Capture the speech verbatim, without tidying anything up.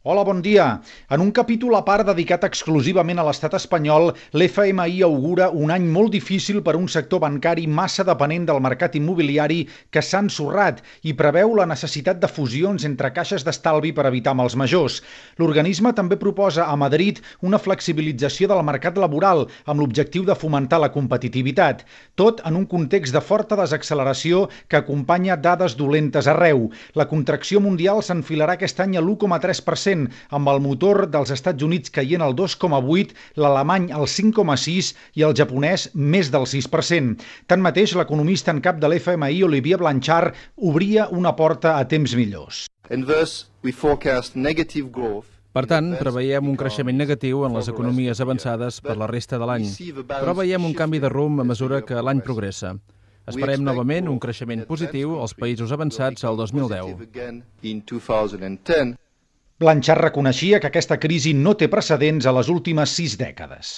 Hola, bon dia. En un capítol a part dedicat exclusivament a l'estat espanyol, l'F M I augura un any molt difícil per a un sector bancari massa depenent del mercat immobiliari que s'ha ensorrat i preveu la necessitat de fusions entre caixes d'estalvi per evitar mals majors. L'organisme també proposa a Madrid una flexibilització del mercat laboral amb l'objectiu de fomentar la competitivitat. Tot en un context de forta desacceleració que acompanya dades dolentes arreu. La contracció mundial s'enfilarà aquest any a l'u coma tres per cent, amb el motor dels Estats Units caient al dos coma vuit, l'alemany al cinc coma sis i el japonès més del sis per cent. Tanmateix, l'economista en cap de l'F M I, Olivier Blanchard, obria una porta a temps millors. Per tant, preveiem un creixement negatiu en les economies avançades per la resta de l'any, però veiem un canvi de rumb a mesura que l'any progressa. Esperem novament un creixement positiu als països avançats al dos mil deu. Blanchard reconeixia que aquesta crisi no té precedents a les últimes sis dècades.